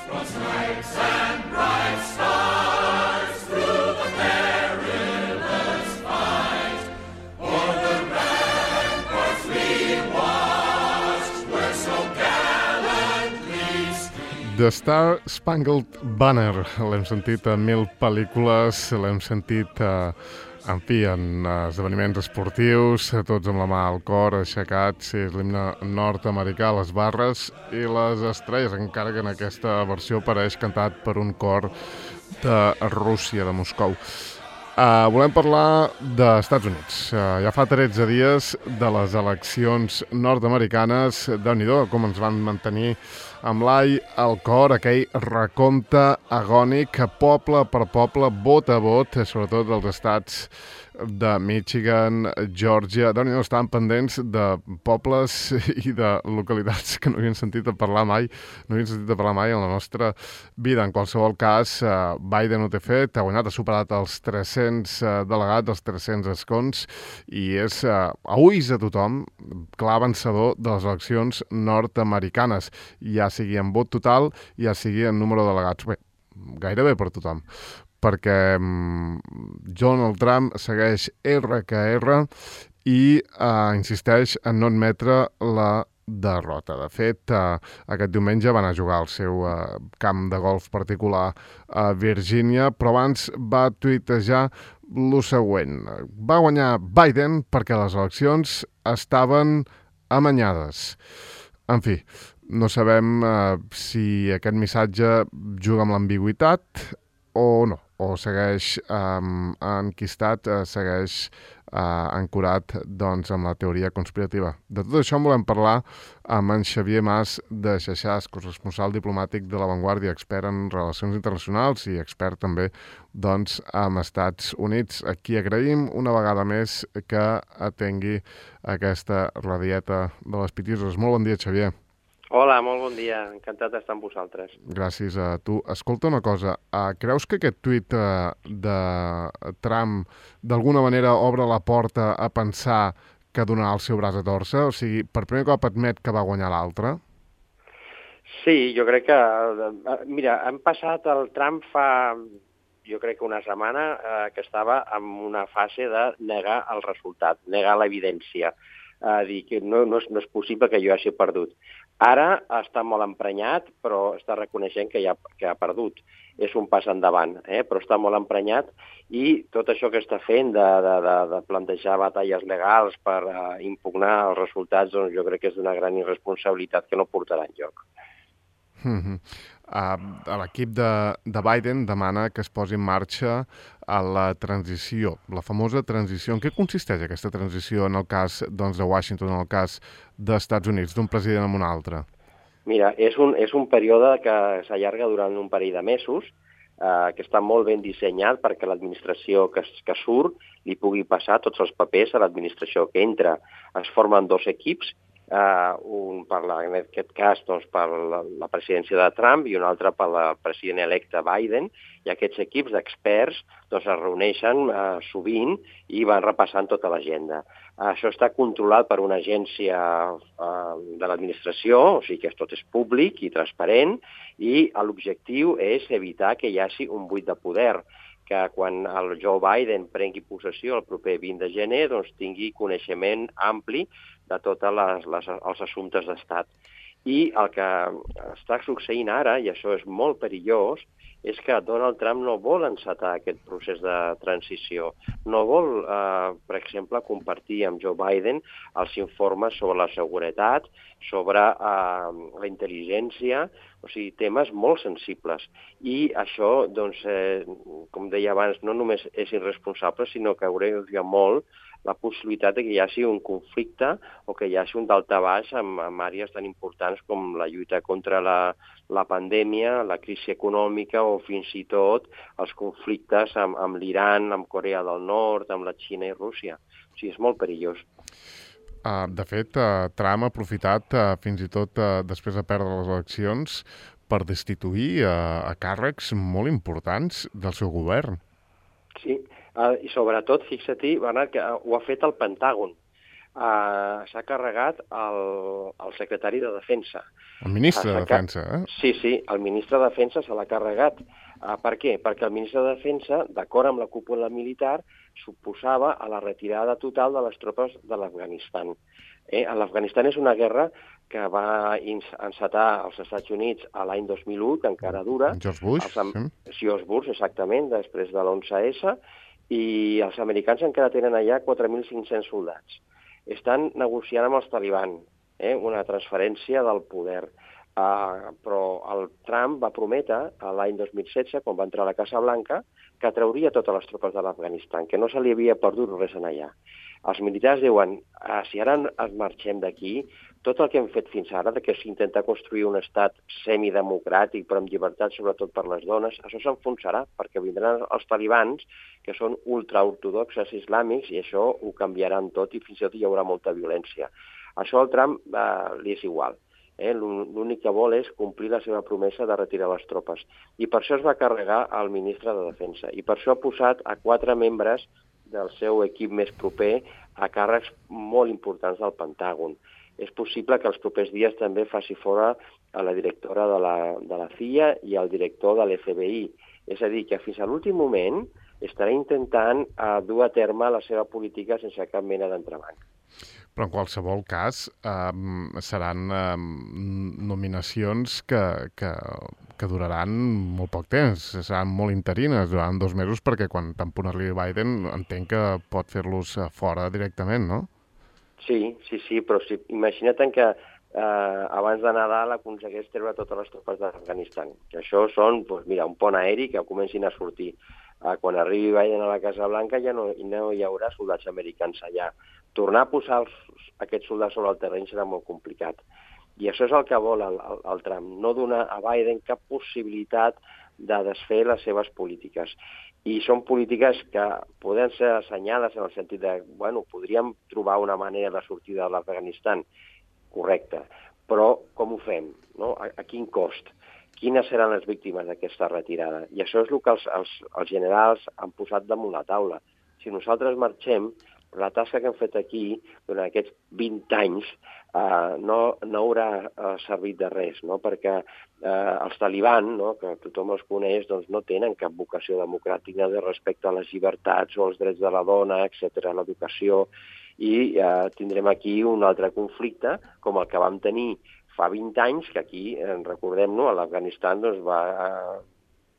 The Star Spangled Banner, l'hem sentit a 1000 pel·lícules, l'hem sentit, en fi, en esdeveniments esportius, tots amb la mà al cor, aixecats, és l'himne nord-americà, les barres i les estrelles, encara que en aquesta versió apareix cantat per un cor de Rússia, de Moscou. Volem parlar d'Estats Units. Ja fa 13 dies de les eleccions nord-americanes. Déu-n'hi-do com ens van mantenir amb l'ai al cor, aquell recompte agònic, poble per poble, vot a vot, sobretot dels estats de Michigan, Georgia. Déu-n'hi-do, estaven pendents de pobles i de localitats que no havien sentit a parlar mai, en la nostra vida. En qualsevol cas, Biden ho té fet, ha guanyat, ha superat els 300 delegats, els 300 escons, i és, a ulls de tothom, clar vencedor de les eleccions nord-americanes, ja sigui en vot total, ja sigui en número de delegats. Bé, gairebé per tothom, perquè Donald Trump segueix R que R i insisteix en no admetre la derrota. De fet, aquest diumenge va anar a jugar al seu camp de golf particular a Virgínia, però abans va tuitejar lo següent. Va guanyar Biden perquè les eleccions estaven amanyades. En fi, no sabem si aquest missatge juga amb l'ambigüitat o no, o segueix enquistat, segueix ancorat doncs, amb la teoria conspirativa. De tot això en volem parlar amb en Xavier Mas de Xaxàs, corresponsal diplomàtic de La Vanguardia, expert en relacions internacionals i expert també doncs, amb Estats Units. A qui agraïm una vegada més que atengui aquesta radieta de les Pitiuses. Molt bon dia, Xavier. Hola, molt bon dia. Encantat d'estar amb vosaltres. Gràcies a tu. Escolta una cosa, creus que aquest tuit de Trump d'alguna manera obre la porta a pensar que donarà el seu braç a torcer? O sigui, per primer cop admet que va guanyar l'altre? Sí, jo crec que... Mira, hem passat el Trump fa, jo crec que una setmana, que estava en una fase de negar el resultat, negar l'evidència. Dir que no és possible que jo hagi perdut. Ara està molt emprenyat, però està reconeixent que ha perdut. És un pas endavant, però està molt emprenyat i tot això que està fent de plantejar batalles legals per impugnar els resultats, doncs jo crec que és d'una gran irresponsabilitat que no portarà enlloc. L'equip de Biden demana que es posi en marxa a la transició, la famosa transició. En què consisteix aquesta transició en el cas doncs, de Washington, en el cas dels Estats Units, d'un president a un altre? Mira, és un període que s'allarga durant un parell de mesos, que està molt ben dissenyat perquè l'administració que surt li pugui passar tots els papers a l'administració que entra. Es formen dos equips, un en aquest cas doncs, per la presidència de Trump i un altre per la president electe Biden, i aquests equips d'experts doncs, es reuneixen sovint i van repassant tota l'agenda. Això està controlat per una agència de l'administració, o sigui que tot és públic i transparent, i l'objectiu és evitar que hi hagi un buit de poder, que quan el Joe Biden prengui possessió el proper 20 de gener doncs, tingui coneixement ampli de tots els assumptes d'estat. I el que està succeint ara, i això és molt perillós, és que Donald Trump no vol encetar aquest procés de transició. No vol, per exemple, compartir amb Joe Biden els informes sobre la seguretat, sobre la intel·ligència, o sigui, temes molt sensibles. I això, doncs, com deia abans, no només és irresponsable, sinó que agreuja molt la possibilitat que hi hagi un conflicte o que hi hagi un daltabaix en àrees tan importants com la lluita contra la pandèmia, la crisi econòmica o fins i tot els conflictes amb l'Iran, amb Corea del Nord, amb la Xina i Rússia. O sigui, és molt perillós. De fet, Trump ha aprofitat fins i tot després de perdre les eleccions per destituir a càrrecs molt importants del seu govern. Sí, i sobretot, fixa-t'hi, Bernat, que ho ha fet el Pentàgon. s'ha carregat el secretari de Defensa. El ministre de Defensa, eh? Sí, el ministre de Defensa se l'ha carregat. Per què? Perquè el ministre de Defensa, d'acord amb la cúpula militar, suposava a la retirada total de les tropes de l'Afganistan. L'Afganistan és una guerra que va encetar als Estats Units a l'any 2001, que encara dura. George Bush, sí. Sí, George Bush, exactament, després de l'11S, i els americans encara tenen allà 4.500 soldats. Estan negociant amb els talibans una transferència del poder. Però el Trump va prometre l'any 2016, quan va entrar a la Casa Blanca, que trauria totes les tropes de l'Afganistan, que no se li havia perdut res en allà. Els militars diuen, si ara ens marxem d'aquí, tot el que hem fet fins ara, que és intentar construir un estat semidemocràtic, però amb llibertat sobretot per les dones, això s'enfonsarà, perquè vindran els talibans, que són ultraortodoxes islàmics, i això ho canviaran tot, i fins i tot hi haurà molta violència. Això al Trump li és igual. L'únic que vol és complir la seva promesa de retirar les tropes. I per això es va carregar el ministre de Defensa. I per això ha posat a 4 membres del seu equip més proper a càrrecs molt importants del Pentàgon. És possible que els propers dies també faci fora a la directora de la CIA i al director de l'FBI. És a dir, que fins a l'últim moment estarà intentant dur a terme la seva política sense cap mena d'entrebanc. Però en qualsevol cas seran nominacions que duraran molt poc temps, seran molt interines, duraran 2 mesos, perquè quan tan punt arribi Biden entenc que pot fer-los fora directament, no? Sí, però imagina't que abans de Nadal aconsegueix treure totes les tropes d'Afganistan. Que això són, un pont aeri que comencin a sortir. Quan arribi Biden a la Casa Blanca ja no hi haurà soldats americans allà. Tornar a posar aquests soldats sobre el terreny serà molt complicat. I això és el que vol el Trump, no donar a Biden cap possibilitat de desfer les seves polítiques. I són polítiques que poden ser assenyades en el sentit de, podríem trobar una manera de sortir de l'Afganistan, correcte, però com ho fem? No? A quin cost? Quines seran les víctimes d'aquesta retirada? I això és el que els generals han posat damunt la taula. Si nosaltres marxem, la tasca que hem fet aquí durant aquests 20 anys no haurà servit de res, no? Perquè els talibans, que tothom els coneix, no tenen cap vocació democràtica de respecte a les llibertats o els drets de la dona, etc., l'educació, i tindrem aquí un altre conflicte, com el que vam tenir fa 20 anys, que aquí, recordem-no, a l'Afganistan va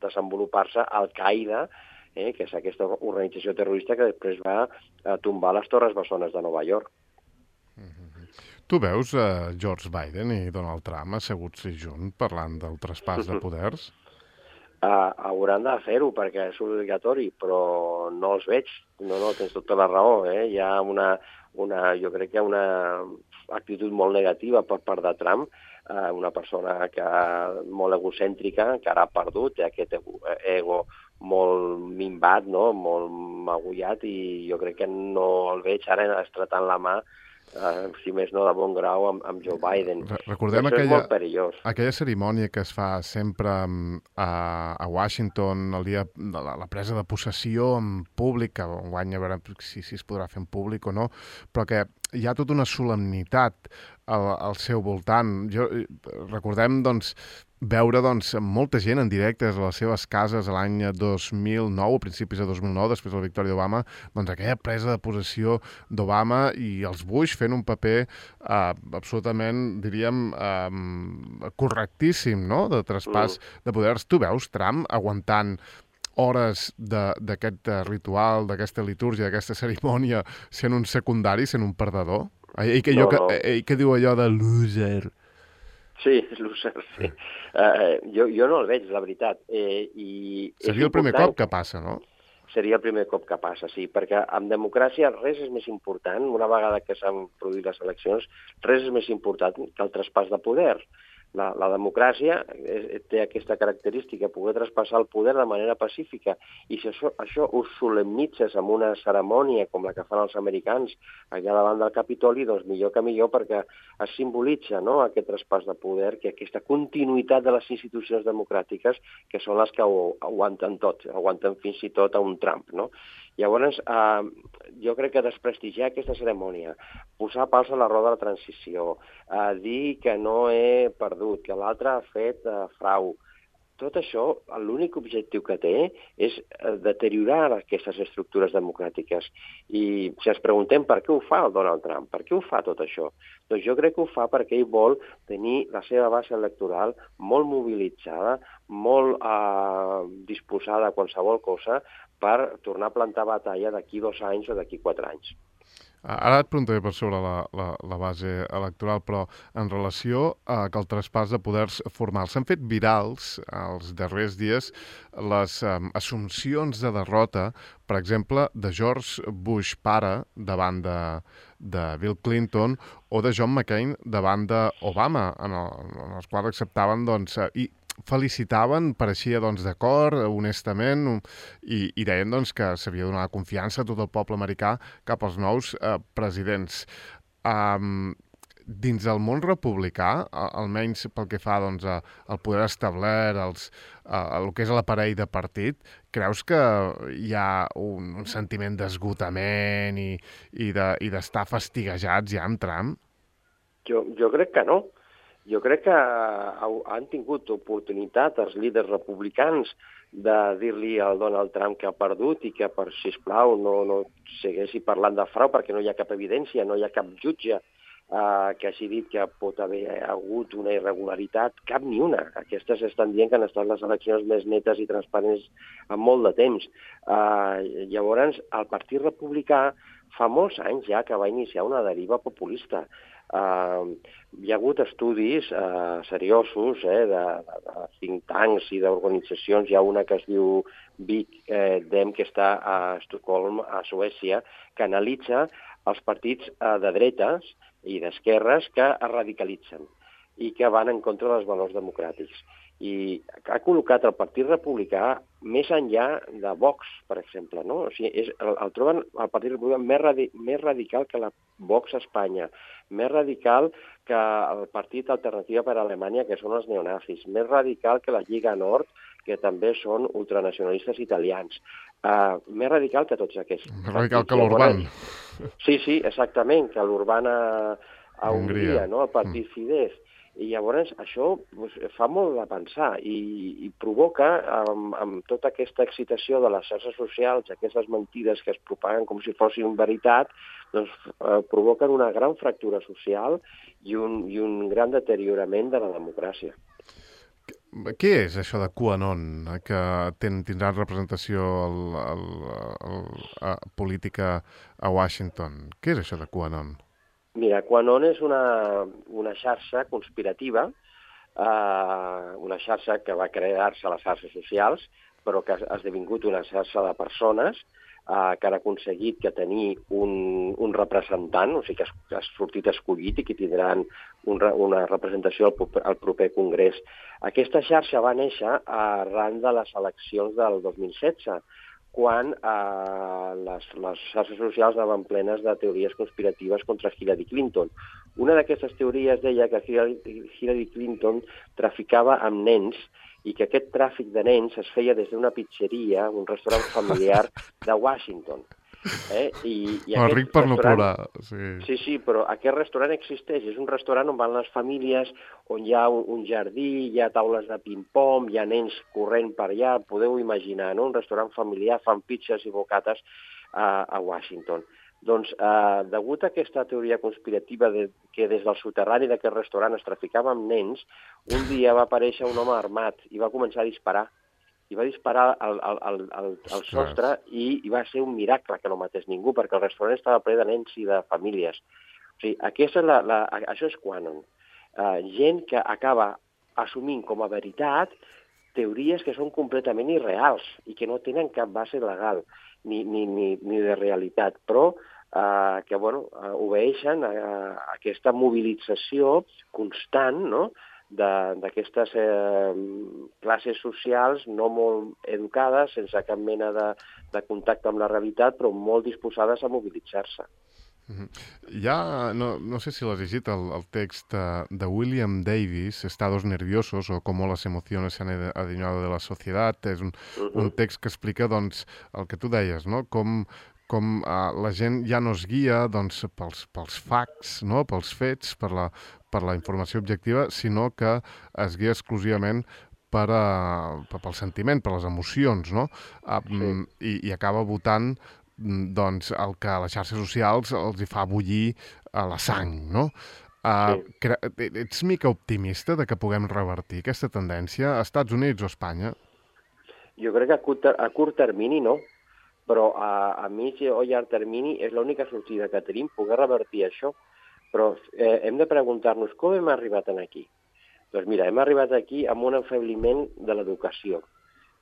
desenvolupar-se Al-Qaeda, que és aquesta organització terrorista que després va tombar les Torres Bessones de Nova York. Tu veus George Biden i Donald Trump asseguts junts parlant del traspàs de poders? Hauran de fer-ho perquè és obligatori, però no els veig. No, tens tota la raó. Hi ha jo crec que hi ha una actitud molt negativa per part de Trump, una persona molt egocèntrica, que ara ha perdut, té aquest ego molt minvat, no? Molt magullat, i jo crec que no el veig ara estratant la mà, si més no de bon grau, amb Joe Biden. Recordem això és molt perillós. Aquella cerimònia que es fa sempre a Washington, el dia de la presa de possessió en públic, que enguany a veure si es podrà fer en públic o no, però que hi ha tota una solemnitat al seu voltant. Recordem, veure molta gent en directe a les seves cases l'any 2009, a principis de 2009, després de la victòria d'Obama, aquella presa de possessió d'Obama i els Bush fent un paper absolutament, diríem, correctíssim, no?, de traspàs de poders. Tu veus Trump aguantant hores d'aquest ritual, d'aquesta litúrgia, d'aquesta cerimònia, sent un secundari, sent un perdedor? Ell que diu allò de loser. Sí, loser, sí. Jo no el veig, la veritat. Seria el primer cop que passa, no? Seria el primer cop que passa, sí, perquè en democràcia res és més important, una vegada que s'han produït les eleccions, res és més important que el traspàs de poder. La democràcia té aquesta característica, poder traspassar el poder de manera pacífica, i si això ho solemnitzes amb una cerimònia com la que fan els americans allà davant del Capitoli, doncs millor que millor, perquè es simbolitza, no?, aquest traspàs de poder, que aquesta continuïtat de les institucions democràtiques, que són les que ho aguanten tot, aguanten fins i tot a un Trump, no? Llavors, jo crec que desprestigiar aquesta cerimònia, posar pals a la roda de la transició, dir que no he perdut, que l'altre ha fet frau, tot això, l'únic objectiu que té és deteriorar aquestes estructures democràtiques. I si ens preguntem per què ho fa el Donald Trump, per què ho fa tot això, doncs jo crec que ho fa perquè ell vol tenir la seva base electoral molt mobilitzada, molt disposada a qualsevol cosa per tornar a plantar batalla d'aquí 2 anys o d'aquí 4 anys. Ara et preguntaré per sobre la base electoral, però en relació a que el traspàs de poders formals s'han fet virals els darrers dies les assumpcions de derrota, per exemple, de George Bush pare davant de Bill Clinton o de John McCain davant d'Obama, en els quals acceptaven, doncs, i felicitaven, pareixia d'acord, honestament, i deien que s'havia de donar confiança a tot el poble americà cap als nous presidents. Dins del món republicà, almenys pel que fa al poder establert, el que és l'aparell de partit, creus que hi ha un sentiment d'esgotament i d'estar fastiguejats ja amb Trump? Jo crec que no. Jo crec que han tingut oportunitat els líders republicans de dir-li al Donald Trump que ha perdut i que, sisplau, no segueixi parlant de frau perquè no hi ha cap evidència, no hi ha cap jutge que hagi dit que pot haver hagut una irregularitat, cap ni una. Aquestes estan dient que han estat les eleccions més netes i transparents en molt de temps. Llavors, el Partit Republicà fa molts anys ja que va iniciar una deriva populista. Hi ha hagut estudis seriosos de think tanks i d'organitzacions. Hi ha una que es diu Big Dem, que està a Estocolm, a Suècia, que analitza els partits de dretes i d'esquerres que es radicalitzen i que van en contra dels valors democràtics. I ha col·locat el Partit Republicà més enllà de Vox, per exemple, no? O sigui, el troben el Partit Republicà més radical que la Vox a Espanya, més radical que el Partit Alternativa per a Alemanya, que són els neonazis, més radical que la Lliga Nord, que també són ultranacionalistes italians, més radical que tots aquests. Més radical que l'Urban. Sí, exactament, que l'Urban a Hongria, no? El Partit Fidesz. I llavors això fa molt de pensar i provoca, amb tota aquesta excitació de les xarxes socials, aquestes mentides que es propaguen com si fossin veritat, doncs provoquen una gran fractura social i un gran deteriorament de la democràcia. Què és això de QAnon, que tindran representació política a Washington? Què és això de QAnon? Mira, QAnon és una xarxa conspirativa, una xarxa que va crear-se a les xarxes socials, però que ha esdevingut una xarxa de persones que han aconseguit que tenir un representant, o sigui que ha sortit escollit i que tindran una representació al proper congrés. Aquesta xarxa va néixer arran de les eleccions del 2016, quan les xarxes socials anaven plenes de teories conspiratives contra Hillary Clinton. Una d'aquestes teories deia que Hillary Clinton traficava amb nens i que aquest tràfic de nens es feia des d'una pizzeria, un restaurant familiar de Washington. El ric per no plorar. Sí, però aquest restaurant existeix. És un restaurant on van les famílies, on hi ha un jardí, hi ha taules de ping-pong, hi ha nens corrent per allà. Podeu imaginar, no? Un restaurant familiar, fan pizzas i bocates a Washington. Doncs, degut a aquesta teoria conspirativa que des del soterrani d'aquest restaurant es traficava amb nens, un dia va aparèixer un home armat i va començar a disparar. I va disparar al sostre i va ser un miracle que no matés ningú, perquè el restaurant estava ple de nens i de famílies. O sigui, això és QAnon. Gent que acaba assumint com a veritat teories que són completament irreals i que no tenen cap base legal ni de realitat, però que obeeixen a aquesta mobilització constant, no?, d'aquestes classes socials no molt educades, sense cap mena de contacte amb la realitat, però molt disposades a mobilitzar-se. Ja, no sé si l'has llegit, el text de William Davis, Estados nerviosos o cómo las emociones se han adueñado de la sociedad. És un text que explica, doncs, el que tu deies, no? Com la gent ja no es guia, doncs, pels facts, no? Pels fets, per la informació objectiva, sinó que es guia exclusivament pel sentiment, per les emocions, no? I acaba votant doncs el que a les xarxes socials els hi fa bullir a la sang, no? Sí. Ets mica optimista de que puguem revertir aquesta tendència a Estats Units o a Espanya? Jo crec que a curt termini no, però a mig o llarg termini és l'única sortida que tenim, poder revertir això. Però hem de preguntar-nos com hem arribat aquí. Doncs mira, hem arribat aquí amb un enfebliment de l'educació.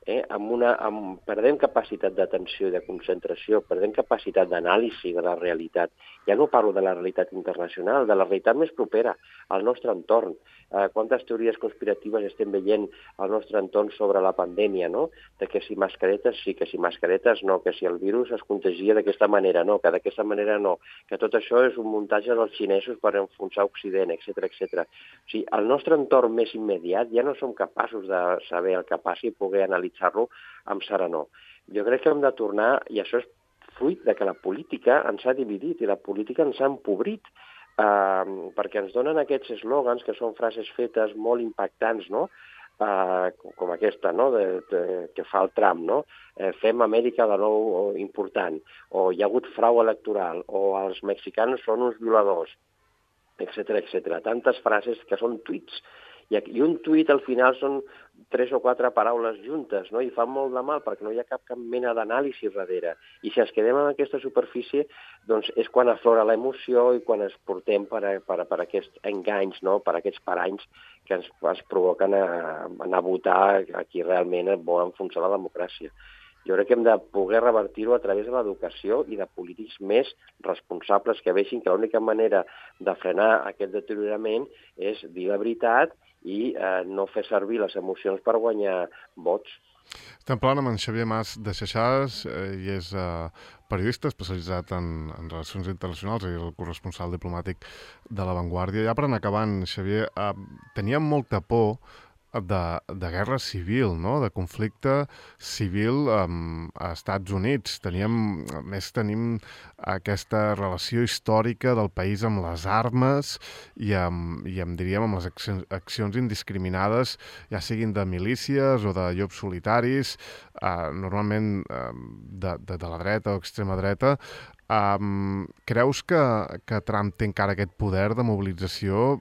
Perdem capacitat d'atenció i de concentració, perdem capacitat d'anàlisi de la realitat. Ja no parlo de la realitat internacional, de la realitat més propera, al nostre entorn. Quantes teories conspiratives estem veient al nostre entorn sobre la pandèmia, no? De que si mascaretes sí, que si mascaretes no, que si el virus es contagia d'aquesta manera no, que d'aquesta manera no, que tot això és un muntatge dels xinesos per enfonsar Occident, etc etc. O sigui, al nostre entorn més immediat ja no som capaços de saber el que passi i poder analitzar-lo amb serenor. Jo crec que hem de tornar, i això és fruit de que la política ens ha dividit i la política ens ha empobrit, perquè ens donen aquests eslògans que són frases fetes molt impactants, no? Com aquesta, no? Que fa el Trump, no? Fem Amèrica de nou important, o hi ha hagut frau electoral, o els mexicanos són uns violadors, etc etc. Tantes frases que són tuits. I un tuit al final són 3 o 4 paraules juntes, no? I fa molt de mal perquè no hi ha cap mena d'anàlisi darrere. I si ens quedem en aquesta superfície, doncs és quan aflora l'emoció i quan ens portem per aquests enganys, no? Per aquests paranys que ens provoquen anar a votar a qui realment vol enfonsar la democràcia. Jo crec que hem de poder revertir-ho a través de l'educació i de polítics més responsables que vegin que l'única manera de frenar aquest deteriorament és dir la veritat i no fer servir les emocions per guanyar vots. Estem parlant amb en Xavier Mas de Xaixàs, i és periodista especialitzat en relacions internacionals i el corresponsal diplomàtic de La Vanguardia. Ja per anar acabant, Xavier, teníem molta por de guerra civil, no? De conflicte civil a Estats Units. Tenim aquesta relació històrica del país amb les armes i amb les accions indiscriminades, ja siguin de milícies o de llops solitaris, normalment de la dreta o extrema dreta. Creus que Trump té encara aquest poder de mobilització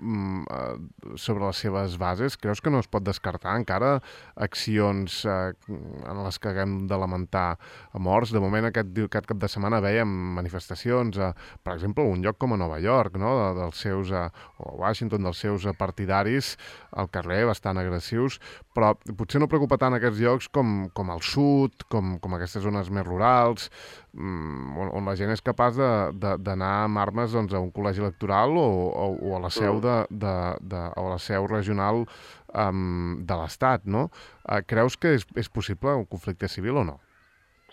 sobre les seves bases? Creus que no es pot descartar encara accions en les que haguem de lamentar morts? De moment aquest cap de setmana veiem manifestacions, per exemple, a un lloc com a Nova York, no? Dels seus, o a Washington, dels seus partidaris al carrer, bastant agressius, però potser no preocupa tant aquests llocs com al sud, com aquestes zones més rurals, on la gent és capaç d'anar amb armes, doncs, a un col·legi electoral o a la seu o a la seu regional de l'Estat, no? Creus que és possible un conflicte civil o no?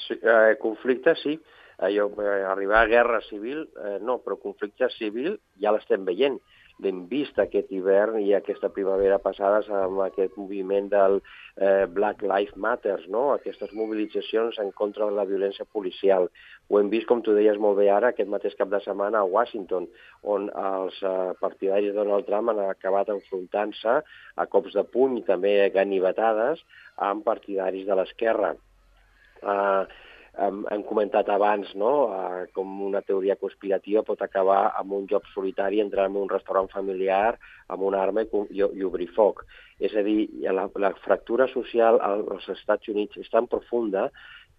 Sí, conflicte sí. Arribar a guerra civil, no, però conflicte civil ja l'estem veient. L'hem vist aquest hivern i aquesta primavera passades amb aquest moviment del Black Lives Matter, no? Aquestes mobilitzacions en contra de la violència policial. Ho hem vist, com tu deies molt bé ara, aquest mateix cap de setmana a Washington, on els partidaris de Donald Trump han acabat enfrontant-se a cops de puny i també ganivetades amb partidaris de l'esquerra. Hem comentat abans, no?, com una teoria conspirativa pot acabar amb un joc solitari, entrar en un restaurant familiar amb una arma i obrir foc. És a dir, la fractura social als Estats Units és tan profunda,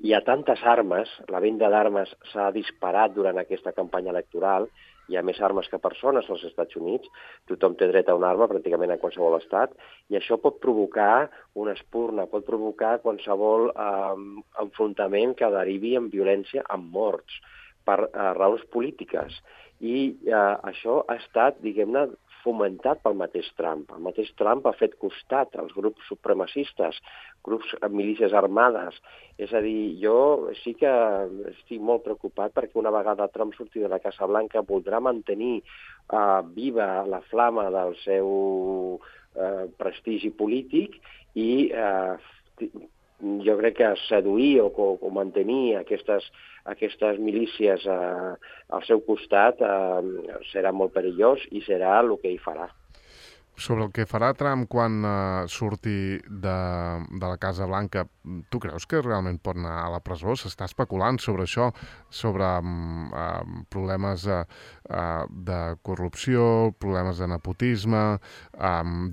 hi ha tantes armes, la venda d'armes s'ha disparat durant aquesta campanya electoral, hi ha més armes que persones als Estats Units, tothom té dret a una arma pràcticament a qualsevol estat, i això pot provocar una espurna, pot provocar qualsevol enfrontament que derivi en violència, en morts, per raons polítiques. I això ha estat, diguem-ne, fomentat pel mateix Trump. El mateix Trump ha fet costat als grups supremacistes, grups amb milícies armades. És a dir, jo sí que estic molt preocupat perquè una vegada Trump surti de la Casa Blanca voldrà mantenir viva la flama del seu prestigi polític i jo crec que seduir o mantenir aquestes milícies al seu costat serà molt perillós i serà el que hi farà. Sobre el que farà Trump quan surti de la Casa Blanca, tu creus que realment pot anar a la presó? S'està especulant sobre això, sobre problemes de corrupció, problemes de nepotisme,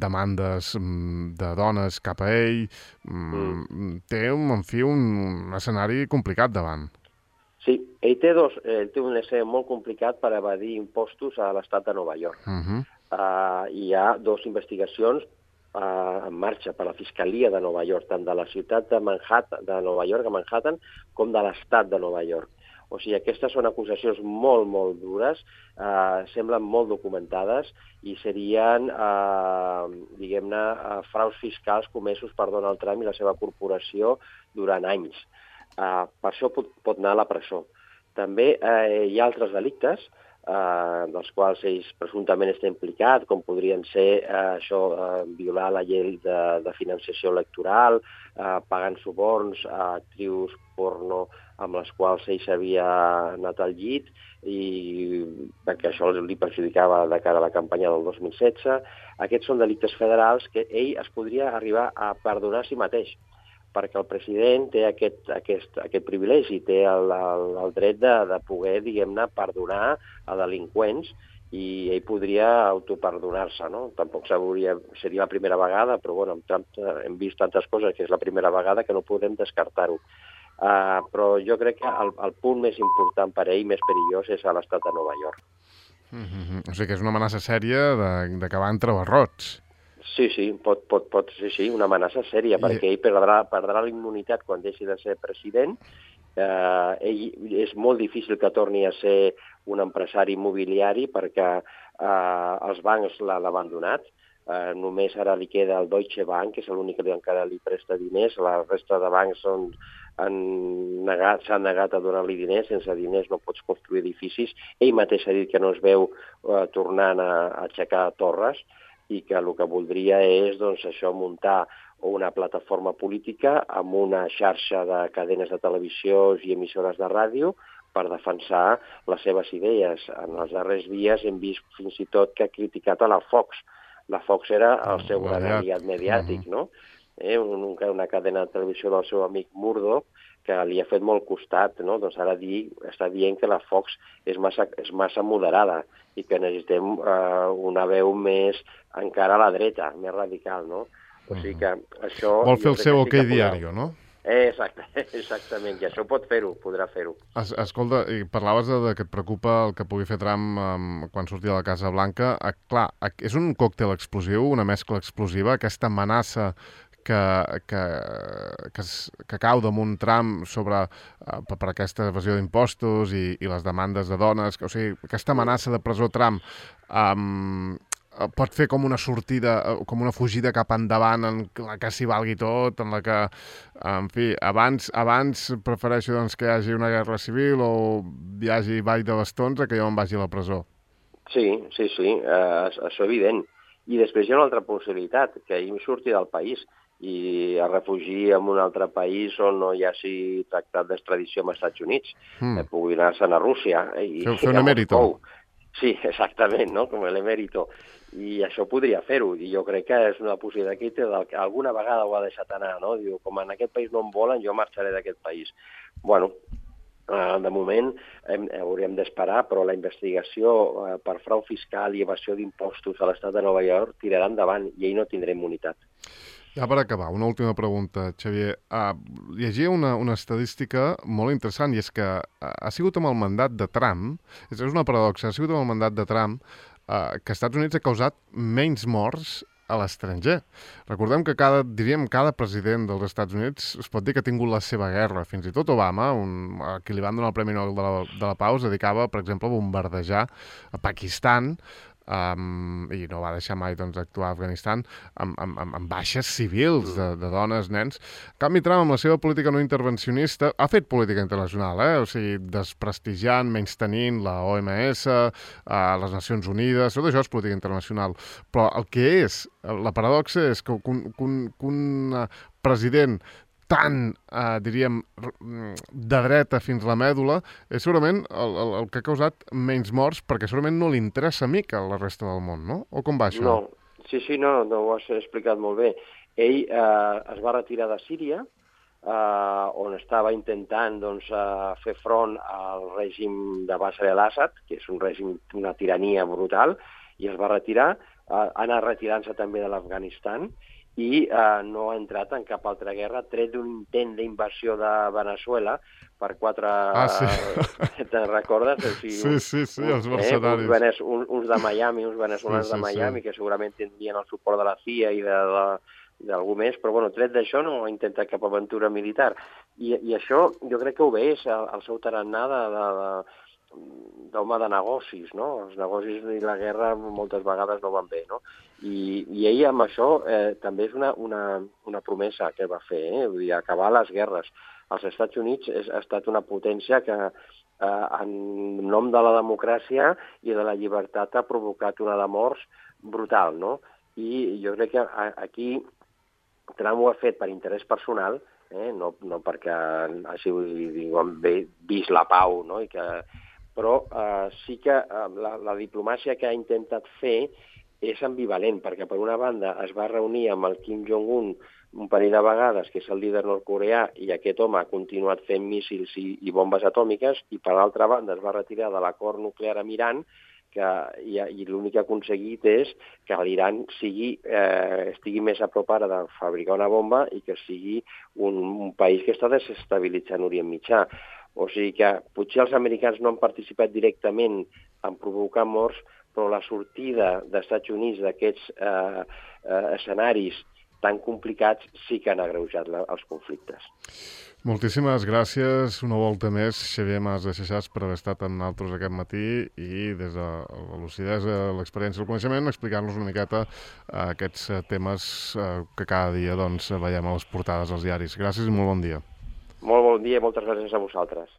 demandes de dones cap a ell. Té, en fi, un escenari complicat davant. Sí, ell té un escenari molt complicat per evadir impostos a l'estat de Nova York. Hi ha 2 investigacions en marxa per la Fiscalia de Nova York, tant de la ciutat de Nova York, a Manhattan, com de l'estat de Nova York. O sigui, aquestes són acusacions molt, molt dures, semblen molt documentades i serien, diguem-ne, fraus fiscals comesos per Donald Trump i la seva corporació durant anys. Per això pot anar a la presó. També hi ha altres delictes dels quals ells presumptament està implicat, com podrien ser violar la llei de financiació electoral, pagant suborns a actrius porno amb les quals ell s'havia anat al llit i perquè això li perjudicava de cara a la campanya del 2016. Aquests són delictes federals que ell es podria arribar a perdonar a si mateix, perquè el president té aquest privilegi, té el dret de poder, diguem-ne, perdonar a delinqüents i ell podria autoperdonar-se, no? Tampoc seria la primera vegada, però bueno, amb Trump hem vist tantes coses que és la primera vegada que no podem descartar-ho. Però jo crec que el punt més important per ell, més perillós, és a l'estat de Nova York. O sigui que és una amenaça sèria d'acabar entre barrots. Sí, pot ser una amenaça sèria, perquè ell perdrà la immunitat quan deixi de ser president. Ell és molt difícil que torni a ser un empresari immobiliari perquè els bancs l'han abandonat. Només ara li queda el Deutsche Bank, que és l'únic que encara li presta diners. La resta de bancs s'han negat a donar-li diners. Sense diners no pots construir edificis. Ell mateix ha dit que no es veu tornant a aixecar torres i que el que voldria és muntar una plataforma política amb una xarxa de cadenes de televisió i emissores de ràdio per defensar les seves idees. En els darrers dies hem vist fins i tot que ha criticat a la Fox. La Fox era el seu gran aliat mediàtic, no? Una cadena de televisió del seu amic Murdoch que li ha fet molt costat, no? Doncs ara està dient que la Fox és massa moderada i que necessitem una veu més encara a la dreta, més radical, no? O sigui que això... Vol fer el seu OK Diario, no? Exactament, i això podrà fer-ho. Escolta, parlaves que et preocupa el que pugui fer Trump quan surti de la Casa Blanca. Clar, és un còctel explosiu, una mescla explosiva, aquesta amenaça que cau damunt Trump per aquesta evasió d'impostos i les demandes de dones. O sigui, aquesta amenaça de presó Trump pot fer com una sortida, com una fugida cap endavant en la que s'hi valgui tot, en la que, en fi, abans prefereixo que hi hagi una guerra civil o hi hagi ball de bastons que jo em vagi a la presó. Sí, això és evident. I després hi ha una altra possibilitat, que ell surti del país i es refugi en un altre país on no hi hagi tractat d'extradició amb els Estats Units. Pugui anar-se'n a Rússia. Fer un emèrito. Sí, exactament, no? Com l'emèrito. I això podria fer-ho, i jo crec que és una possibilitat que alguna vegada ho ha deixat anar, no? Diu, com en aquest país no em volen, jo marxaré d'aquest país. Bueno, de moment hauríem d'esperar, però la investigació per frau fiscal i evasió d'impostos a l'estat de Nova York tirarà endavant i ell no tindrà immunitat. Ja per acabar, una última pregunta, Xavier. Llegia una estadística molt interessant, i és que ha sigut amb el mandat de Trump, és una paradoxa, ha sigut amb el mandat de Trump que Estats Units ha causat menys morts a l'estranger. Recordem que cada president dels Estats Units es pot dir que ha tingut la seva guerra. Fins i tot Obama, a qui li van donar el Premi Nobel de la Pau, es dedicava, per exemple, a bombardejar a Pakistan i no va deixar mai doncs, actuar a Afganistan amb baixes civils de dones, nens. En canvi, Trump, amb la seva política no intervencionista, ha fet política internacional, o sigui, desprestigiant, menystenint la OMS, les Nacions Unides, tot això és política internacional. Però el que és, la paradoxa és que un president tan, diríem, de dreta fins a la mèdula, és segurament el que ha causat menys morts, perquè segurament no li interessa mica a la resta del món, no? O com va això? No, sí, no ho has explicat molt bé. Ell es va retirar de Síria, on estava intentant doncs, fer front al règim de Bashar al-Assad, que és un règim, una tirania brutal, i es va retirar, ha anat retirant-se també de l'Afganistan, i no ha entrat en cap altra guerra, tret d'un intent d'invasió de Venezuela per 4... sí. Te'n recordes? O sigui, sí, els mercenaris. Uns de Miami, uns veneçolans de Miami, que segurament tindrien el suport de la CIA i d'algú més, però bueno, tret d'això no ha intentat cap aventura militar. I això jo crec que obeix al seu tarannà d'home de negocis, no? Els negocis i la guerra moltes vegades no van bé, no? I ell amb això també és una promesa que va fer, vull dir, acabar les guerres. Els Estats Units ha estat una potència que en nom de la democràcia i de la llibertat ha provocat una de morts brutal, no? I jo crec que aquí Trump ho ha fet per interès personal, no perquè hagi vist la pau, no? Però sí que la diplomàcia que ha intentat fer és ambivalent, perquè per una banda es va reunir amb el Kim Jong-un un parell de vegades, que és el líder nord-coreà, i aquest home ha continuat fent míssils i bombes atòmiques, i per l'altra banda es va retirar de l'acord nuclear amb Iran, i l'únic que ha aconseguit és que l'Iran estigui més a prop ara de fabricar una bomba i que sigui un país que està desestabilitzant Orient Mitjà. O sigui que potser els americans no han participat directament en provocar morts, però la sortida dels Estats Units d'aquests escenaris tan complicats sí que han agreujat els conflictes. Moltíssimes gràcies una volta més, Xavier Mas de Xaxàs, per haver estat amb nosaltres aquest matí i des de la lucidesa, l'experiència i el coneixement explicar-nos una miqueta aquests temes que cada dia veiem a les portades dels diaris. Gràcies i molt bon dia. Molt bon dia i moltes gràcies a vosaltres.